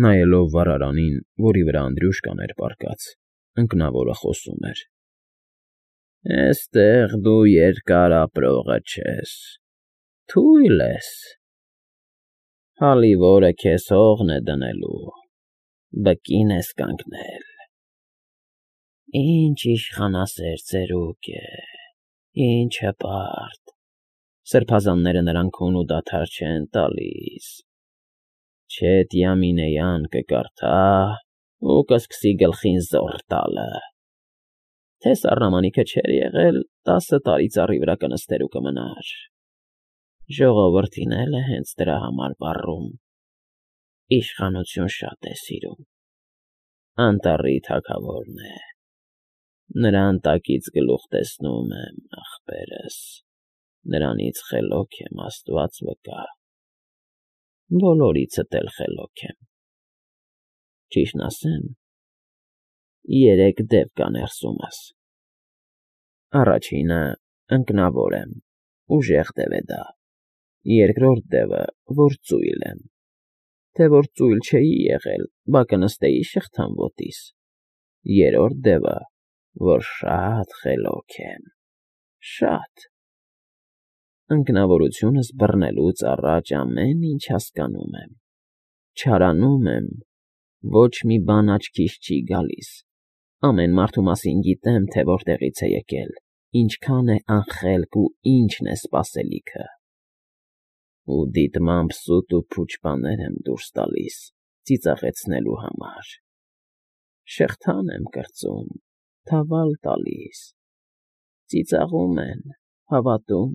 Նայելով վառարանին, որի վրա Անդրյուշկան էր պառկած, ընկնավորը խոսում էր. Էստեղ դու երկար ապրողը չես, թույլ ես, հալիվորը քեզ հողն է դնելու, բկին ես կանգնել, ինչ իշխանասեր ծերուկ է, ինչ հպարտ, սրբազանները նրան քուն ու դադար չեն տալիս, չետ յամինեյան կկարդա ու կսկսի գլխին զոռ տալը, թե սառնամանիքը չէր եղել, 10 տարի ծառի վրա կնստեր ու կմնար, ժողովրդին էլ է հենց դրա համար վառում, իշխանություն շատ է սիրում, անտառի թագավորն է, նրան տակից գլուխ տեսնում եմ, ախպերս, նրանից խելոք եմ, աստված վկա, բոլորիցդ էլ խելոք եմ, ճիշտն ասեմ, 3 դև կա ներսումս, առաջինը ընկնավոր եմ, ուժեղ դև է դա, երկրորդ դևը, որ ծույլ եմ, թե որ ծույլ չէի եղել, բա կնստեի շղթան ոտիս, երրորդ դևը, որ շատ խելոք եմ, շատ, ընկնավորությունս բռնելուց առաջ ամեն ինչ հասկանում եմ, չարանում եմ, ոչ մի բան աչքիս չի գալիս, ամեն մարդու մասին գիտեմ, թե որտեղից է եկել, ինչքան է անխելք ու ինչն է սպասելիքը, ու դիտմամբ սուտ ու փուչ բաներ եմ դուրս տալիս, ծիծաղեցնելու համար, շղթան եմ կրծում, թավալ տալիս, ծիծաղում են, հավատում,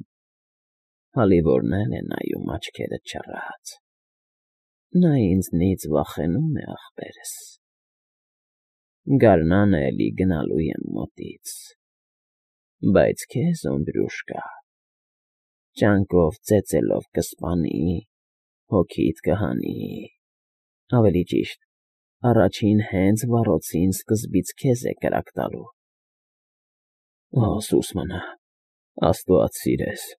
հալիվորն էլ է նայում աչքերը չռած, նա ինձնից վախենում է ախպերս, գարնանը էլի գնալու եմ մոտից, բայց քեզ, Օնդրյուշկա, ճանկով ծեծելով կսպանի, հոգիդ կհանի, ավելի ճիշտ, առաջին հենց վառոցին սկզբից քեզ է կրակ տալու, Սուս մնա, աստված սիրես,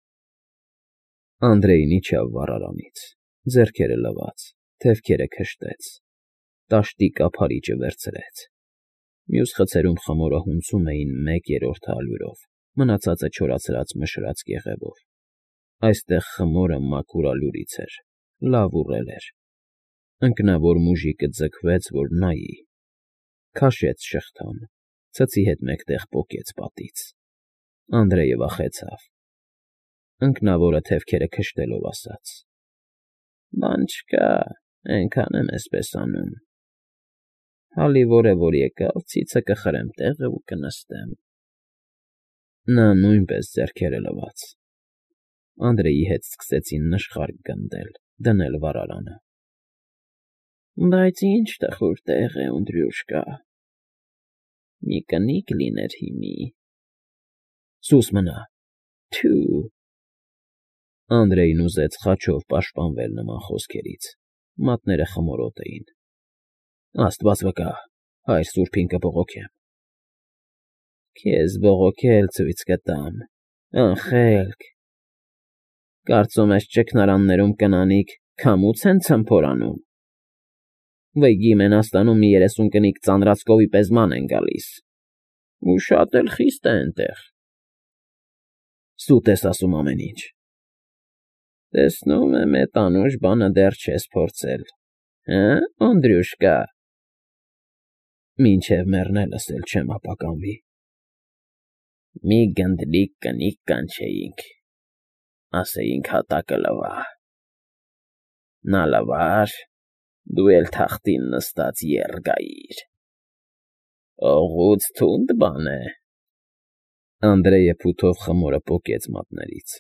Անդրեյն իջավ վառարանից, ձեռքերը լվաց, թևքերը քշտեց, տաշտի կափարիչը վերցրեց, մյուս խցերում խմորը հունցում էին 1/3 ալյուրով, մնացածը չորացած մշրած կեղևով, այստեղ խմորը մաքուր ալյուրից էր, լավ ուռել էր, ընկնավոր մուժիկը ձգվեց, որ նայի, քաշեց շղթան, ցցի հետ մեկտեղ պոկեց պատից, Անդրեյը վախեցավ, ընկնավորը թևքերը քշտելով ասաց. Բան չկա, այնքան եմ էսպես անում, հալիվորը, որ եկավ, ցիցը կխրեմ տեղը ու կնստեմ, նա նույնպես ձեռքերը լվաց, Անդրեյի հետ սկսեցին նշխարք գնդել, դնել վառարանը, բայց ինչ տխուր տեղ է, Օնդրյուշկա, մի կնիկ լիներ հիմի, Սուս մնա, թյու, Անդրեյն ուզեց խաչով պաշտպանվել նման խոսքերից, մատները խմորոտ էին, աստված վկա, հայր սուրբին կբողոքեմ, քեզ բողոքել ցույց կտամ, անխելք, կարծում ես ճգնարաններում կնանիք քամուց են ցմփորանում, վայգի Մենաստանում մի 30 կնիկ ծանրածկովի պես ման են գալիս, ու շատ էլ խիստ է էնտեղ, սուտ ես ասում ամեն ինչ, տեսնում եմ էդ անուշ բանը դեռ չես փորձել, Օնդրյուշկա, մինչև մեռնելս էլ չեմ ապականվի, մի գնդլիկ կնիկ կանչեինք, ասեինք հատակը լվա, նա լվար, դու էլ թախտին նստած եռ գայիր, օղուց թունդ բան է, Անդրեյը փութով խմորը պոկեց մատներից,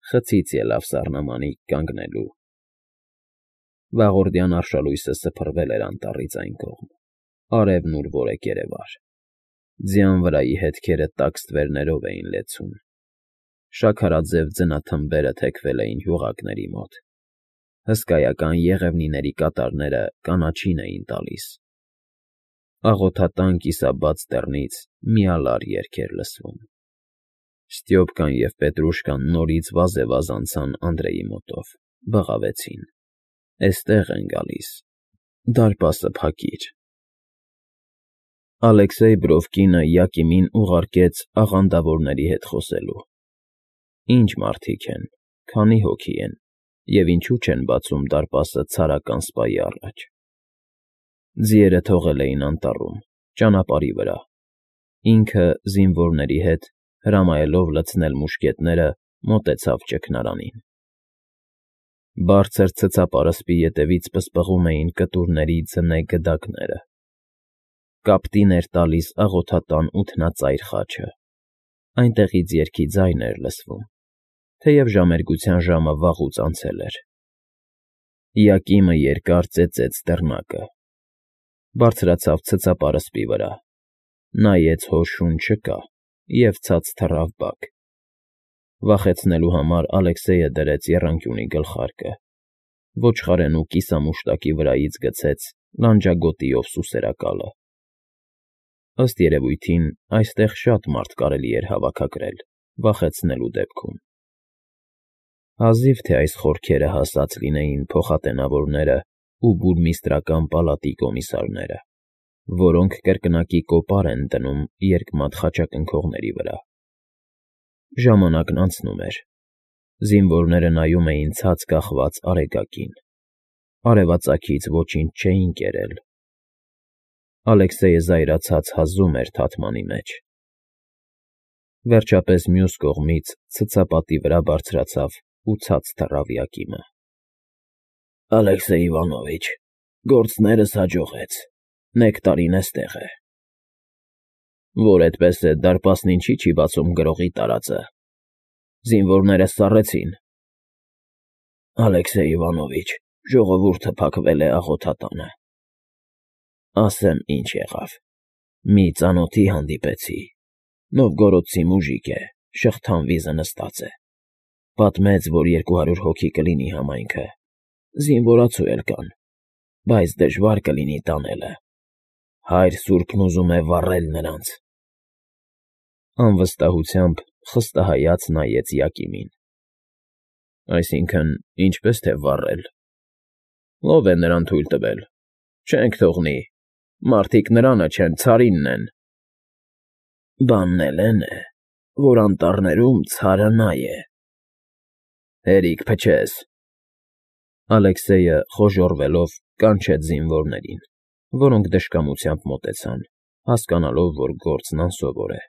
խցից ելավ սառնամանիք կանգնելու, վաղորդյան արշալույսը սփռվել էր անտառից այն կողմ, արևն ուր որեկերևար, ձյան վրայի հետքերը տաք ստվերներով էին լեցուն, շաքարաձև ձնաթմբերը թեքվել էին յուղակների մոտ, հսկայական եղևնիների կատարները կանաչին էին տալիս, աղոթատան կիսաբաց դռնից մի ալար երգ էր լսվում, Ստյոպկան և Պետրուշկան նորից վազևազ անցան Անդրեյի մոտով, բղավեցին, էստեղ են գալիս, Դարպասը փակիր։ Ալեքսեյ Բրովկինը Յակիմին ուղարկեց աղանդավորների հետ խոսելու։ Ինչ մարդիկ են, քանի հոգի են, և ինչու չեն բացում դարպասը ցարական սպայի առաջ։ Ձիերը թողել էին անտառում, ճանապարհի վրա։ Ինքը զինվորների հետ, հրամայելով լցնել մուշկետները, մոտեցավ ճգնարանին։ Բարձր ցցապարսպի ետևից պսպղում էին կտուրների ձնե գդակները։ Կապտին էր տալիս աղոթատան ութնածայր խաչը։ Այնտեղից երգի ձայն էր լսվում, թեև ժամերգության ժամը վաղուց անցել էր։ Յակիմը երկար ծեծեց դռնակը։ Բարձրացավ ցցապարսպի վրա, նայեց հո շուն չկա և ցած թռավ բակ։ Վախեցնելու համար Ալեքսեյը դրեց եռանկյունի գլխարկը, ոչխարենու կիսամուշտակի վրայից գցեց լանջագոտիով սուսերակալը։ Ըստ երևույթին, այստեղ շատ մարդ կարելի էր հավաքագրել, վախեցնելու դեպքում։ Հազիվ թե այս խորքերը հասած լինեին փոխատենավորները ու բուրմիստրական պալատի կոմիսարները, որոնք կրկնակի կոպար են դնում երկմատ խաչակնքողների վրա։ Ժամանակն անցնում էր։ Զինվորները նայում էին ցած կախված Արեգակին։ Արևածագից ոչինչ չէին կերել։ Ալեքսեյը զայրացած հազում էր թաթմանի մեջ։ Վերջապես մյուս կողմից ցցապատի վրա բարձրացավ ու ցած թռավ Յակիմը։ Ալեքսեյ Իվանովիչ, գործներս հաջողեց, նեկտարին էստեղ է։ Որ այդպես է, դարպասն ինչի՞ չի բացում գրողի տարածը։ Զինվորները սառեցին։ Ալեքսեյ Իվանովիչ, ժողովուրդը փակվել է աղոթատանը։ Ասեմ, ինչ եղավ։ Մի ծանոթի հանդիպեցի։ Նովգորոդցի մուժիկ է, շղթան վիզը նստած է։ Պատմեց, որ 200 հոգի կլինի համայնքը։ Զինվորացու էլ կան, բայց դժվար կլինի տանելը։ Հայր սուրբն ուզում է վառել նրանց։ Անվստահությամբ խստահայաց նայեց Յակիմին։ Այսինքն, ինչպես թե վառել։ Ո՞վ է նրան թույլ տվել։ Չենք թողնի։ Մարդիկ նրանը չեն, ցարինն են։ Բանն էլ էն է, որ անտառներում ցարը նա է։ Հերիք փչես։ Ալեքսեյը, խոժոռվելով, կանչեց զինվորներին, որոնք դժկամությամբ մոտեցան, հասկանալով, որ գործն անսովոր է։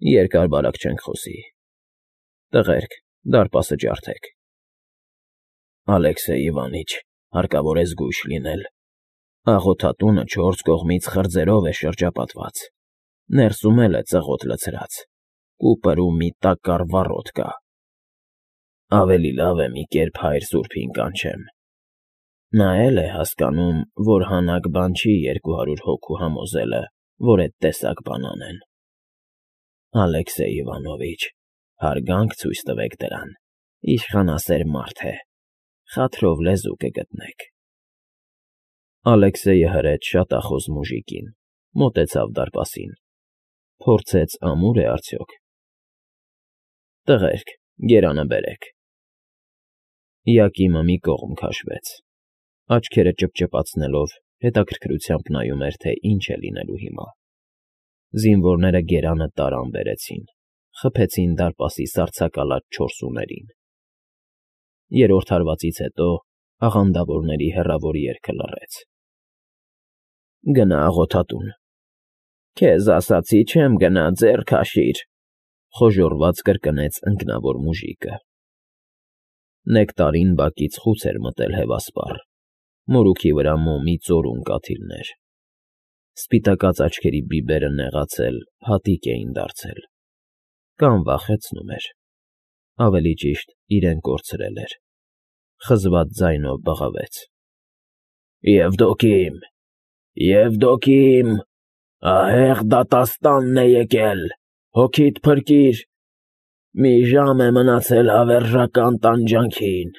Երկար բարակ չենք խոսի։ Տղերք, դարպասը ջարդեք։ Ալեքսեյ Իվանիչ, հարկավոր է զգույշ լինել։ Աղոթատունը 4 կողմից խրձերով է շրջապատված։ Ներսում էլ է ծղոտ լցրած։ Կուպր ու մի տակառ վառոդ կա։ Ավելի լավ է մի կերպ հայր սուրբին կանչեմ։ Նա էլ է հասկանում, որ հանակ բան չի 200 հոգու համոզելը, որ էդ տեսակ բան անեն։ Ալեքսեյ Իվանովիչ, հարգանք ցույց տվեք դրան, իշխանասեր մարդ է, խաթրով լեզու կգտնեք։ Ալեքսեյը հրեց շատախոս մուժիկին, մոտեցավ դարպասին, փորձեց ամուր է արդյոք։ Տղերք, գերանը բերեք։ Յակիմը մի կողմ քաշվեց, աչքերը ճպճպացնելով հետաքրքրությամբ նայում էր, թե ինչ է լինելու հիմա։ Զինվորները գերանը տարան բերեցին, խփեցին դարպասի սառցակալած 4 սյուներին։ Երրորդ հարվածից հետո աղանդավորների հեռավոր երգը լռեց։ Գնա աղոթատուն։ Քեզ ասացի չեմ գնա, ձեռ քաշիր, խոժոռված կրկնեց ընկնավոր մուժիկը։ Նեկտարին բակից խուց էր մտել հևասպառ, մորուքի վրա մոմի ծորուն կաթիլներ։ Սպիտակած աչքերի բիբերը նեղացել, հատիկ էին դարձել։ Կամ վախեցնում էր։ Ավելի ճիշտ, իրեն կորցրել էր։ Խզված ձայնով բղավեց. Եվդոկիմ, Եվդոկիմ, ահեղ դատաստանն է եկել, հոգիդ փրկիր, մի ժամ է մնացել հավերժական տանջանքին։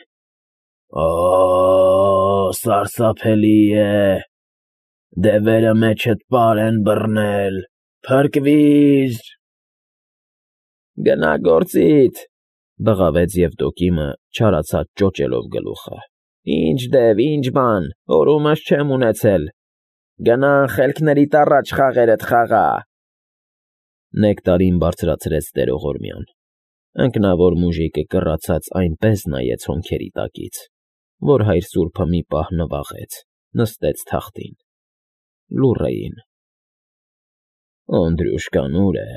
Օ, սարսափելի է, դևերը մեջդ պար են բռնել, փրկվիր։ Գնա գործիդ, բղավեց Եվդոկիմը, չարացած ճոճելով գլուխը։ Ինչ դև, ինչ բան, օրումս չեմ ունեցել, գնա խելքներիդ առաջ խաղերդ խաղա։ Նեկտարին բարձրացրեց տերողորմյան։ Ընկնավոր մուժիկը կռացած այնպես նայեց հոնքերի տակից, որ հայր սուրբը մի պահ նվաղեց, նստեց թախտին։ Լուռ էին։ Օնդրյուշկան ուր է։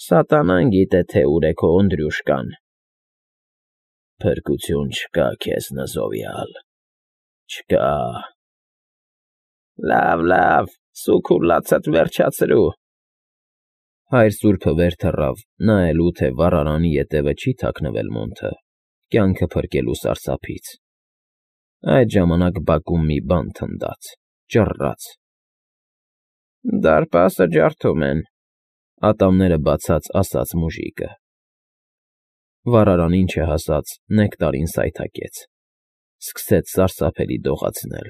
Սատանան գիտե, թե ուր է քո Օնդրյուշկան։ Փրկություն չկա քեզ նզովյալ, չկա։ Լավ, սուքուր լացդ վերջացրու։ Հայր սուրբը վեր թռավ, նայելու, թե վառարանի ետևը չի թաքնվել մոնթը, կյանքը փրկելու սարսափից։ Այդ ժամանակ բակում մի բան թնդաց, ճռռաց։ Դարպասը ջարդում են, ատամները բացած ասաց մուժիկը։ Վառարանին չհասած Նեկտարին սայթաքեց, սկսեց սարսափելի դողացնել։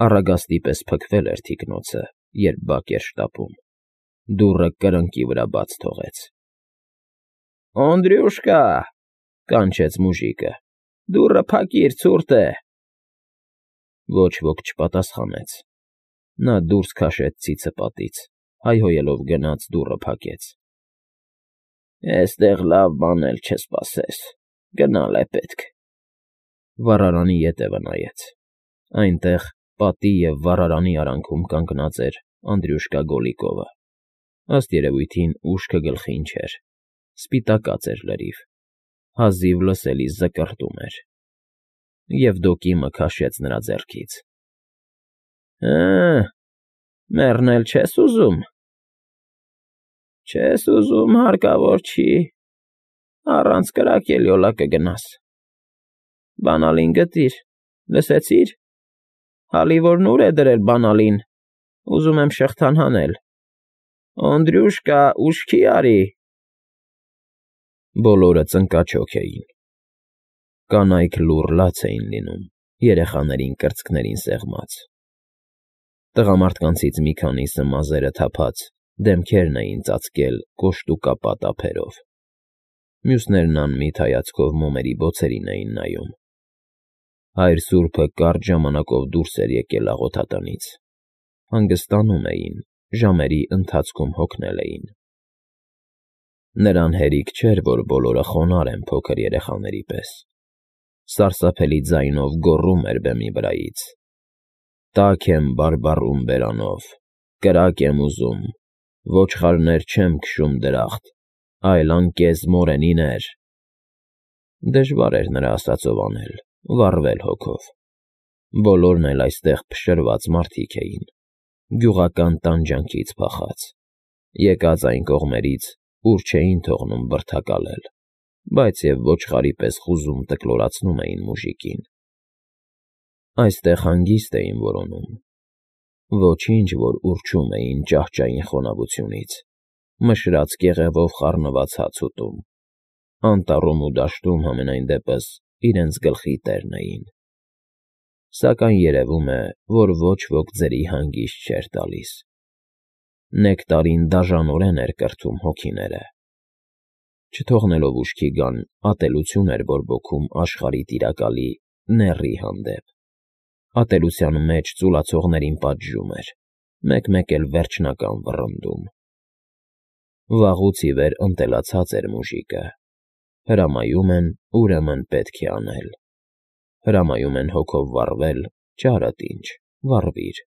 Առագաստի պես փքվել էր թիկնոցը, երբ բակ էր շտապում։ Դուռը կրկնակի վրա բաց թողեց։ Օնդրյուշկա, կանչեց մուժիկը։ դուռը փակիր, ցուրտ է։ Ոչ ոք չպատասխանեց։ Նա դուրս քաշեց ցիցը պատից, հայհոյելով գնաց դուռը փակեց։ Էստեղ լավ բան էլ չսպասես, գնալ է պետք։ Վառարանի ետևը նայեց։ Այնտեղ, պատի և վառարանի արանքում կանգնած էր Անդրյուշկա Գոլիկովը։ Ըստ երևույթին ուշքը գլխին չէր, սպիտակած էր լրիվ, հազիվ լսելի զկռտում էր։ Եվ դոկիմը քաշեց նրա ձեռքից։ Հը, մեռնել չես ուզում։ Չես ուզում, հարկավոր չի, առանց կրակել յոլա կգնաս։ Բանալին գտիր, լսեցի՞ր։ Հալիվորն ուր է դրել բանալին, ուզում եմ շղթան հանել։ Օնդրյուշկա, ուշքի արի։ Բոլորը ծնկաչոք էին։ Կանայք լուռ լաց էին լինում, երեխաներին կրծքներին սեղմած։ Տղամարդկանցից մի քանիսը մազերը թափած, դեմքերն էին ծածկել կոշտուկապատ ափերով։ Մյուսներն անմիտ հայացքով մոմերի բոցերին էին նայում։ Հայր սուրբը կարճ ժամանակով դուրս էր եկել աղոթատնից։ Հանգստանում էին, ժամերի ընթացքում հոգնել էին։ Նրան հերիք չէր, որ բոլորը խոնարհ են փոքր երեխաների պես։ Սարսափելի ձայնով գոռում էր բեմի վրայից. «Տաք եմ բարբառում բերանով, կրակ եմ ուզում, ոչխարներ չեմ քշում դրախտ, այլ անկեզ մորենիներ»։ Դժվար էր նրա ասածով անել, վառվել հոգով։ Բոլորն էլ այստեղ փշրված մարդիկ էին, գյուղական տանջանքից փախած, եկած այն կողմերից, ուր չէին թողնում բռթակալել, բայց և ոչխարի պես խուզում տկլորացնում էին մուժիկին։ Այստեղ հանգիստ էին որոնում։ Ոչինչ, որ ուռչում էին ճահճային խոնավությունից, մշրած կեղևով խառնված հաց ուտում, անտառում ու դաշտում համենայն դեպս իրենց գլխի տերն էին։ Սակայն երևում է, որ ոչ ոք ձերի հանգիստ չէր տալիս։ Նեկտարին դաժանորեն էր կրթում հոգիները։ Չթողնելով ուշքի գան, ատելություն էր բորբոքում աշխարհի տիրակալի նեռի հանդեպ։ Ատելության մեջ ծուլացողներին պատժում էր, մեկ-մեկ էլ վերջնական վռնդում։ Վաղուց ի վեր ընտելացած էր մուժիկը։ Հրամայում են, ուրեմն պետք է անել։ Հրամայում են հոգով վառվել, ճարդ ինչ, վառվիր։